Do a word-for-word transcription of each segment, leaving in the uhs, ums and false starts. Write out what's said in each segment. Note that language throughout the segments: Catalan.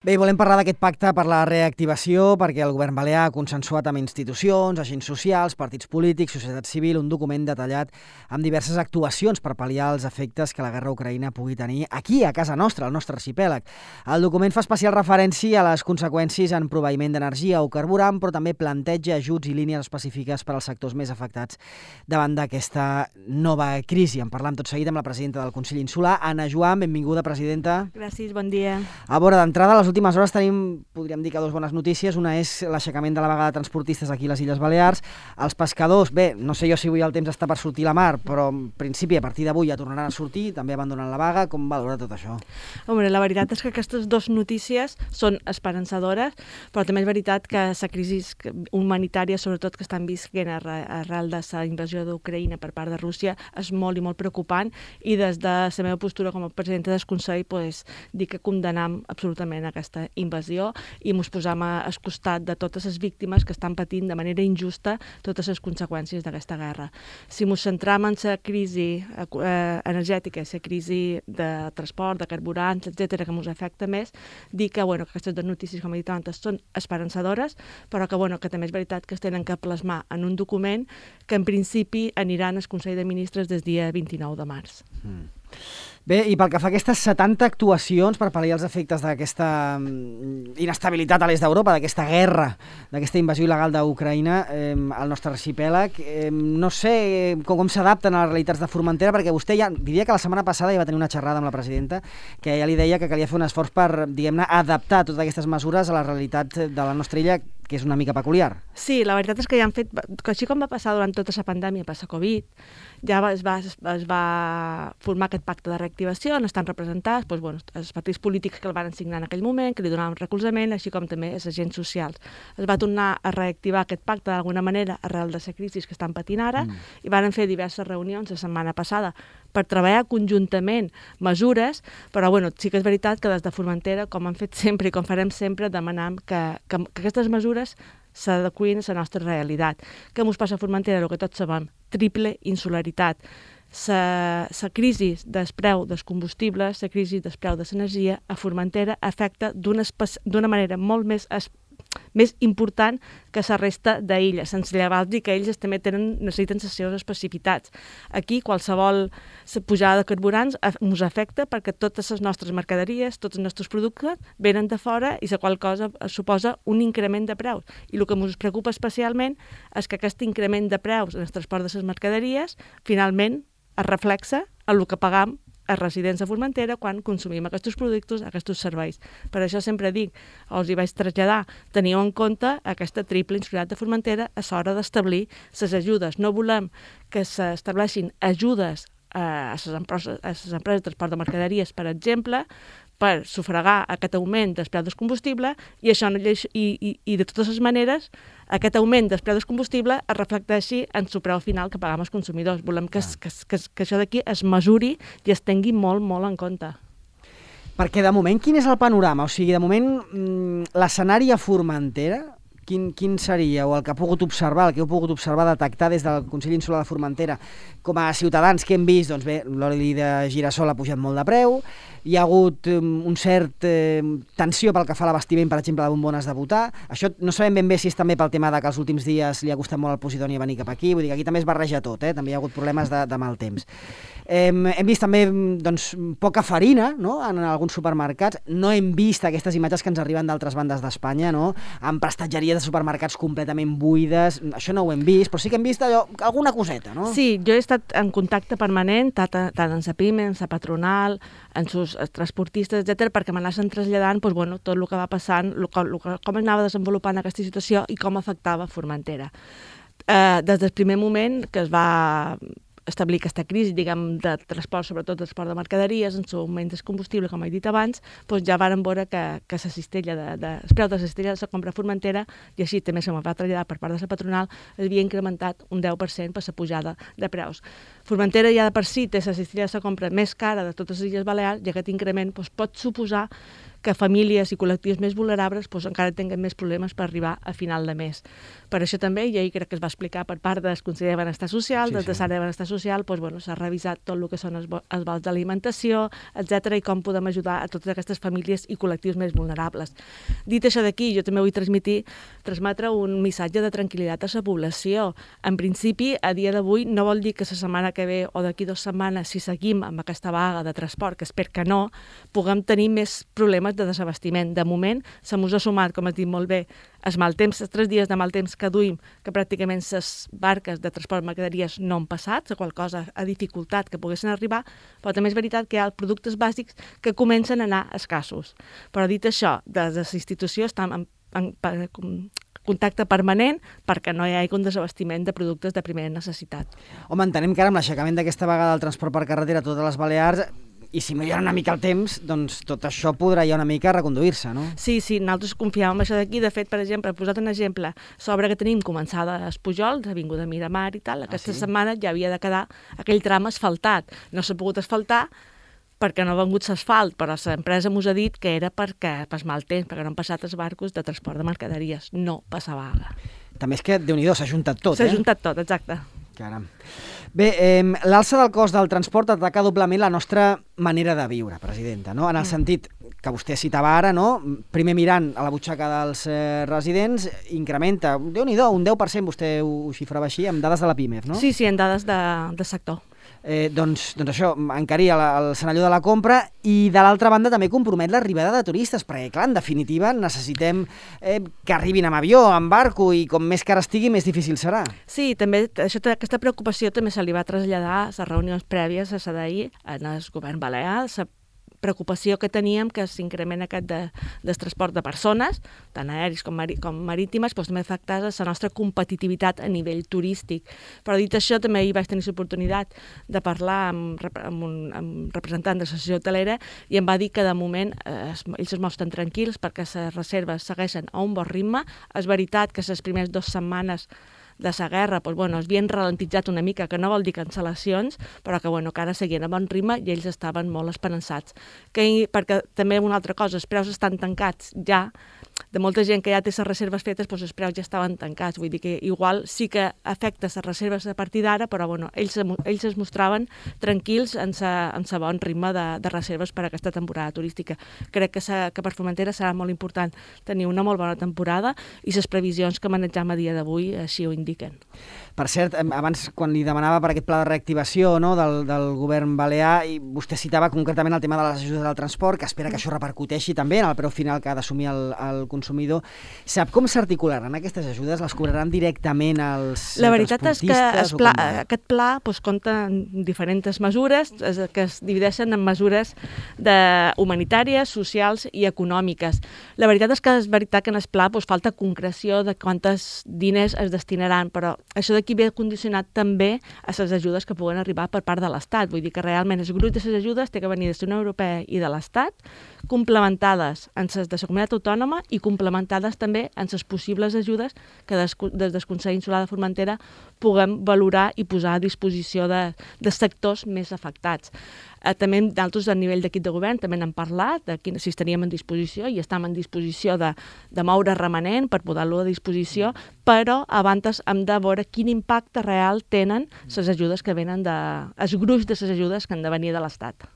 Bé, volem parlar d'aquest pacte per la reactivació perquè el govern balear ha consensuat amb institucions, agents socials, partits polítics, societat civil, un document detallat amb diverses actuacions per pal·liar els efectes que la guerra a Ucraïna pugui tenir aquí, a casa nostra, al nostre arxipèlag. El document fa especial referència a les conseqüències en proveïment d'energia o carburant, però també planteja ajuts i línies específiques per als sectors més afectats davant d'aquesta nova crisi. En parlam tot seguit amb la presidenta del Consell Insular, Anna Joan. Benvinguda, presidenta. Gràcies, bon dia. A veure, d'entrada, les últimes hores tenim, podríem dir que dues bones notícies. Una és l'aixecament de la vaga de transportistes aquí a les Illes Balears. Els pescadors, bé, no sé jo si avui el temps està per sortir a la mar, però en principi a partir d'avui ja tornaran a sortir, també abandonen la vaga. Com valora tot això? Home, la veritat és que aquestes dues notícies són esperançadores, però també és veritat que la crisi humanitària, sobretot que estan visquent arrel de la invasió d'Ucraïna per part de Rússia, és molt i molt preocupant, i des de la meva postura com a presidenta del Consell, pues, dic que condemnem absolutament aquesta invasió i ens posam al costat de totes les víctimes que estan patint de manera injusta totes les conseqüències d'aquesta guerra. Si ens centram en la crisi eh, energètica, la crisi de transport, de carburants, etcètera, que ens afecta més, dic que, bueno, que aquestes dues notícies, com he dit abans, són esperançadores, però que, bueno, que també és veritat que es tenen que plasmar en un document que en principi aniran al Consell de Ministres des del dia vint-i-nou de març. Mm. Bé, i pel que fa a aquestes setanta actuacions per pal·liar els efectes d'aquesta inestabilitat a l'est d'Europa, d'aquesta guerra, d'aquesta invasió il·legal d'Ucraïna eh, al nostre arxipèlag, eh, no sé com, com s'adapten a les realitats de Formentera, perquè vostè ja, diria que la setmana passada ja va tenir una xerrada amb la presidenta que ja li deia que calia fer un esforç per, diguem-ne, adaptar totes aquestes mesures a la realitat de la nostra illa, que és una mica peculiar. Sí, la veritat és que ja han fet, que així com va passar durant tota la pandèmia per la Covid, ja es va, es va formar aquest pacte de reactivació, on estan representats doncs, bueno, els partits polítics que el van signar en aquell moment, que li donaven recolzament, així com també els agents socials. Es va tornar a reactivar aquest pacte d'alguna manera arrel de la crisi que estan patint ara, mm. i van fer diverses reunions la setmana passada per treballar conjuntament mesures, però bueno, sí que és veritat que des de Formentera, com han fet sempre i com farem sempre, demanam que, que, que aquestes mesures s'adequin a la nostra realitat. Què ens passa a Formentera? El que tots sabem, triple insularitat. La crisi del preu dels combustibles, la crisi del preu de l'energia a Formentera afecta d'una manera molt més més important que la resta d'illes, sense llevar dir que ells també tenen, necessiten les seves especificitats. Aquí qualsevol pujada de carburants ens afecta perquè totes les nostres mercaderies, tots els nostres productes venen de fora i la qual cosa suposa un increment de preus. I el que ens preocupa especialment és que aquest increment de preus en el transport de les mercaderies finalment es reflexa en el que pagam a residents de Formentera quan consumim aquests productes, aquests serveis. Per això sempre dic, els hi vaig traslladar, teniu en compte aquesta triple insularitat de Formentera a l'hora d'establir les ajudes. No volem que s'estableixin ajudes a les empreses, a les empreses de transport de mercaderies, per exemple, per sufragar aquest augment dels preus del combustible i, això, i, i, i de totes les maneres aquest augment dels preus del combustible es reflecteixi en el preu final que pagam els consumidors. Volem que, que, que, que això d'aquí es mesuri i es tingui molt, molt en compte. Perquè de moment, quin és el panorama? O sigui, de moment, l'escenari a Formentera, quin, quin seria? O el que ha pogut observar, el que heu pogut observar, detectar des del Consell Insular de Formentera, com a ciutadans que hem vist, doncs bé, l'oli de girassol ha pujat molt de preu, hi ha hagut um, un cert eh, tensió pel que fa a l'abastiment, per exemple, de bombones de butà. Això no sabem ben bé si és també pel tema de que els últims dies li ha costat molt al Posidoni venir cap aquí, vull dir que aquí també es barreja tot, eh? També hi ha hagut problemes de, de mal temps. Eh, hem vist també doncs, poca farina, no?, en alguns supermercats. No hem vist aquestes imatges que ens arriben d'altres bandes d'Espanya, no?, amb prestatgeries de supermercats completament buides. Això no ho hem vist, però sí que hem vist allò, alguna coseta, no? Sí, jo he estat en contacte permanent, tant en la PIME, en la patronal, en els transportistes, etcètera, perquè m'anaven traslladant doncs, bueno, tot el que va passant, el, el, com anava desenvolupant aquesta situació i com afectava Formentera. Eh, des del primer moment que es va establir aquesta crisi, diguem, de transport, sobretot de transport de mercaderies, en l'augment del combustible, com he dit abans, doncs ja varen veure que, que la cistella de, de, el preu de la cistella de la compra a Formentera, i així també se me va traslladar per part de la patronal, havia incrementat un deu per cent per la pujada de preus. Formentera ja de per si té la cistella de compra més cara de totes les Illes Balears i aquest increment doncs, pot suposar que famílies i col·lectius més vulnerables doncs, encara tinguin més problemes per arribar a final de mes. Per això també, i ahir crec que es va explicar per part del Conseller de Benestar Social, sí, del sí. Terçària de Benestar Social, doncs, bueno, s'ha revisat tot el que són els, els vals d'alimentació, etcètera, i com podem ajudar a totes aquestes famílies i col·lectius més vulnerables. Dit això d'aquí, jo també vull transmitir, transmetre un missatge de tranquil·litat a la població. En principi, a dia d'avui, no vol dir que la setmana que ve o d'aquí dues setmanes, si seguim amb aquesta vaga de transport, que espero que no, puguem tenir més problemes de desabastiment. De moment, se mos ha sumat, com has dit molt bé, els mal temps, els tres dies de mal temps que duim, que pràcticament les barques de transport de mercaderies no han passat, la qual cosa ha dificultat que poguessin arribar, però també és veritat que hi ha productes bàsics que comencen a anar escassos. Però dit això, des de la institució estem en, en, en contacte permanent perquè no hi hagi un desabastiment de productes de primera necessitat. Home, entenem que ara amb l'aixecament d'aquesta vaga del transport per carretera a totes les Balears, i si millora una mica el temps, doncs tot això podrà ja una mica reconduir-se, no? Sí, sí, nosaltres confiàvem en això d'aquí. De fet, per exemple, he posat un exemple, l'obra que tenim començada a Espujol, l'Avinguda Miramar i tal, aquesta ah, sí? setmana ja havia de quedar aquell tram asfaltat. No s'ha pogut asfaltar perquè no ha vengut l'asfalt, però l'empresa mos ha dit que era perquè pas mal temps, perquè no han passat els barcos de transport de mercaderies. No passa vaga. També és que, Déu-n'hi-do, s'ha juntat tot, eh? S'ha eh? juntat tot, exacte. Caram. Bé, eh, l'alça del cost del transport ataca doblement la nostra manera de viure, presidenta, no? En el sentit que vostè citava ara, no? Primer mirant a la butxaca dels eh, residents, incrementa, Déu-n'hi-do, un deu per cent, vostè ho, ho xifrava així, amb dades de la PIMEF, no? Sí, sí, en dades de, de sector. Eh, doncs, doncs això, encaria la, el senalló de la compra i de l'altra banda també compromet l'arribada de turistes, perquè clar, en definitiva necessitem eh, que arribin amb avió, amb barco i com més car estigui més difícil serà. Sí, també això, aquesta preocupació també se li va traslladar a les reunions prèvies a S D I en el govern balear, la preocupació que teníem que s'increment aquest de, del transport de persones, tant aèris com, mari, com marítimes, doncs també afectava la nostra competitivitat a nivell turístic. Però dit això, també hi vaig tenir l'oportunitat de parlar amb, amb un amb representant de l'associació hotelera i em va dir que de moment eh, ells es mostren tranquils perquè les reserves segueixen a un bon ritme. És veritat que les primeres dues setmanes de la guerra, doncs, bueno, es havien ralentitzat una mica, que no vol dir cancel·lacions, però que, bueno, que ara seguien a bon ritme i ells estaven molt esperançats. Que, perquè també una altra cosa, els preus estan tancats ja, de molta gent que ja té les reserves fetes, doncs els preus ja estaven tancats, vull dir que igual sí que afecta les reserves a partir d'ara, però bueno, ells, ells es mostraven tranquils en sa, en sa bon ritme de, de reserves per a aquesta temporada turística. Crec que, sa, que per Formentera serà molt important tenir una molt bona temporada i les previsions que manegem a dia d'avui així ho indiquen. Per cert, abans quan li demanava per aquest pla de reactivació, no, del, del govern balear, i vostè citava concretament el tema de les ajudes del transport, que espera que això repercuteixi també en el preu final que ha d'assumir el, el consumidor. Sap com s'articularan aquestes ajudes? Les cobraran directament als transportistes? La veritat és que es pla, aquest pla doncs, compta en diferents mesures que es divideixen en mesures de humanitàries, socials i econòmiques. La veritat és que és veritat que en el pla doncs, falta concreció de quantes diners es destinaran, però això d'aquí ve condicionat també a les ajudes que puguen arribar per part de l'Estat. Vull dir que realment el grup de les ajudes té que venir de la Unió Europea i de l'Estat, complementades en les de la comunitat autònoma i complementades també en les possibles ajudes que des, des del Consell Insular de Formentera puguem valorar i posar a disposició de, de sectors més afectats. Eh, també d'altres a nivell d'equip de govern també n'hem parlat, de quin, si estaríem en disposició i estem en disposició de, de moure remanent per posar-lo a disposició, però abans hem de veure quin impacte real tenen les ajudes que venen de, els gruix de les ajudes que han de venir de l'Estat.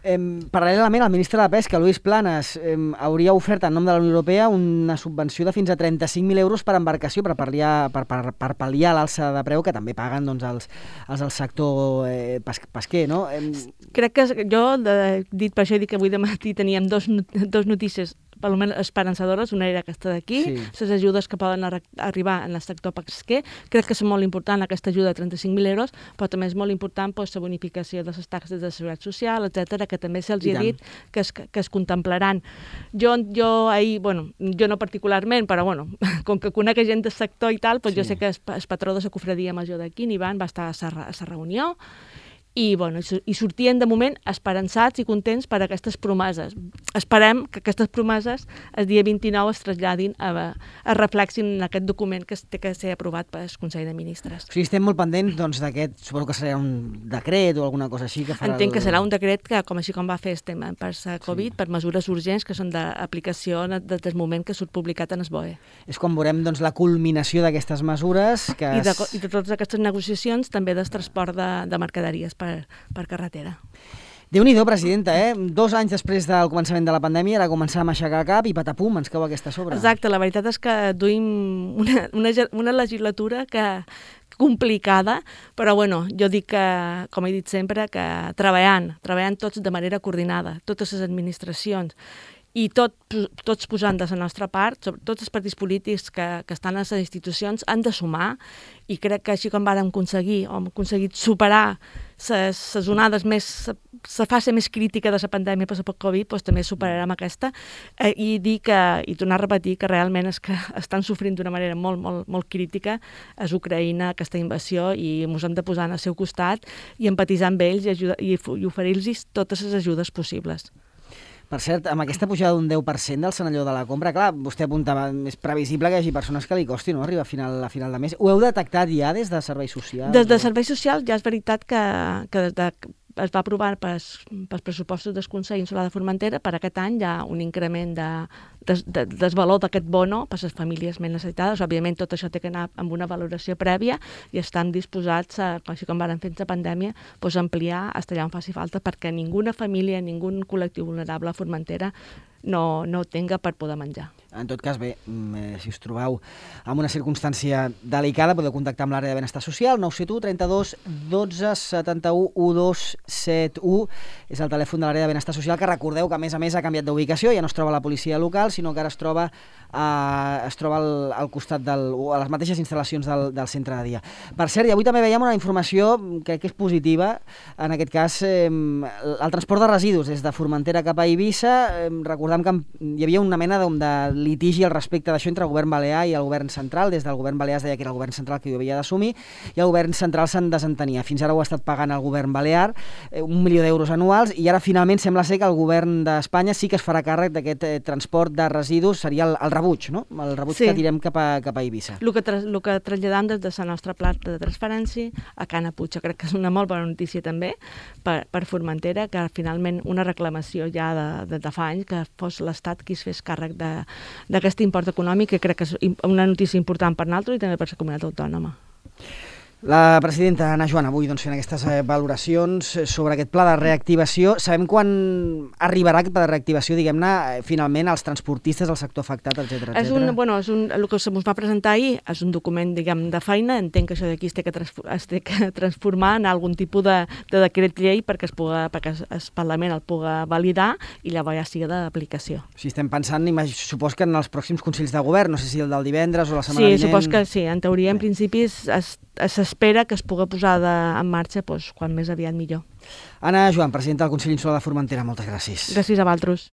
Eh, paral·lelament, el ministre de Pesca, Luis Planas, eh, hauria ofert en nom de la Unió Europea una subvenció de fins a trenta-cinc mil euros per embarcació per pal·liar, per, per, per pal·liar l'alça de preu que també paguen doncs, els, els del sector eh, pesquer, no? Eh... Crec que jo, de, dit per això, dic que avui de matí teníem dos, dos notícies almenys esperançadores, una era aquesta d'aquí, sí. Les ajudes que poden ar arribar en el sector pesquer, crec que és molt important aquesta ajuda de trenta-cinc mil euros, però també és molt important pues, la bonificació de les taxes de seguretat social, etcètera, que també se'ls ha dit que es, que es contemplaran. Jo, jo ahir, bueno, jo no particularment, però bueno, com que conec gent del sector i tal, pues sí. Jo sé que el, el patró de la cofradia major d'aquí, Ivan, va estar a la reunió, i, bueno, i sortien de moment esperançats i contents per aquestes promeses. Esperem que aquestes promeses el dia vint-i-nou es traslladin, a, es reflexin en aquest document que té que ser aprovat pel Consell de Ministres. O sigui, estem molt pendents doncs, d'aquest, suposo que serà un decret o alguna cosa així que farà... Entenc el... que serà un decret que, com així com va fer el tema per la Covid, sí. per mesures urgents que són d'aplicació des del moment que surt publicat en el B O E. És quan veurem doncs, la culminació d'aquestes mesures que... I de, i de totes aquestes negociacions també del transport de, de mercaderies per, per carretera. Déu-n'hi-do, presidenta, eh? Dos anys després del començament de la pandèmia era començar a aixecar el cap i patapum, ens cau aquesta sobre. Exacte, la veritat és que duim una, una, una legislatura que complicada, però bueno, jo dic que, com he dit sempre, que treballant, treballant tots de manera coordinada, totes les administracions, i tot, tots posant de la nostra part, tots els partits polítics que, que estan a les institucions han de sumar, i crec que així com vàrem aconseguir, o hem aconseguit superar les onades més, la fase més crítica de la pandèmia per la Covid, doncs també superarem aquesta, eh, i dir que, i tornar a repetir que realment és que estan sofrint d'una manera molt, molt, molt crítica és Ucraïna, aquesta invasió, i ens hem de posar al seu costat i empatitzar amb ells i, ajudar, i, i oferir-los totes les ajudes possibles. Per cert, amb aquesta pujada d'un deu per cent del senalló de la compra, clar, vostè apuntava, és previsible que hi hagi persones que li costi, no?, arribar a final, a final de mes. Ho heu detectat ja des de serveis socials? Des de serveis socials ja és veritat que, que des de es va aprovar pels, pels pressupostos del Consell Insular de Formentera. Per aquest any hi ha un increment de, de, de, del valor d'aquest bono per a les famílies més necessitades. Òbviament tot això té que anar amb una valoració prèvia i estan disposats, a, així com van fer la pandèmia, doncs ampliar fins allà on faci falta perquè ninguna família, ningú col·lectiu vulnerable a Formentera no, no tenga per poder menjar. En tot cas, bé, si us trobeu en una circumstància delicada, podeu contactar amb l'àrea de benestar social, nou set u, trenta-dos, dotze, setanta-u, dotze setanta u. És el telèfon de l'àrea de benestar social, que recordeu que, a més a més, ha canviat d'ubicació, ja no es troba a la policia local, sinó que ara es troba, a, es troba al, al costat del, a les mateixes instal·lacions del, del centre de dia. Per cert, i avui també veiem una informació que, que és positiva, en aquest cas, eh, el transport de residus des de Formentera cap a Eivissa. Eh, recordem que hi havia una mena de, de litigi al respecte d'això entre el govern balear i el govern central. Des del govern balear es deia que era el govern central qui ho havia d'assumir i el govern central se'n desentenia. Fins ara ho ha estat pagant el govern balear, eh, un milió d'euros anuals, i ara finalment sembla ser que el govern d'Espanya sí que es farà càrrec d'aquest eh, transport de residus, seria el, el rebuig, no? El rebuig sí. que tirem cap a, cap a Eivissa. El que, tra el que traslladam des de la nostra planta de transferència a Cana Puig. Crec que és una molt bona notícia també per, per Formentera, que finalment una reclamació ja de, de, de fa anys que fos l'Estat qui es fes càrrec de d'aquest import econòmic, que crec que és una notícia important per nosaltres i també per la comunitat autònoma. La presidenta Anna Joan avui doncs, fent aquestes eh, valoracions sobre aquest pla de reactivació. Sabem quan arribarà aquest pla de reactivació, diguem-ne, eh, finalment als transportistes, al sector afectat, etcètera, etcètera? És un, bueno, és un, el que se'ns va presentar ahir és un document, diguem, de feina. Entenc que això d'aquí es té que, es té que transformar en algun tipus de, de decret llei perquè, es puga, perquè el Parlament el puga validar i llavors ja sigui d'aplicació. Si estem pensant, supos que en els pròxims Consells de Govern, no sé si el del divendres o la setmana vinent... Sí, supos que sí. En teoria, en principi, s'espera que es pugui posar de, en marxa doncs, quan més aviat millor. Anna Joan, presidenta del Consell Insular de Formentera, moltes gràcies. Gràcies a vosaltres.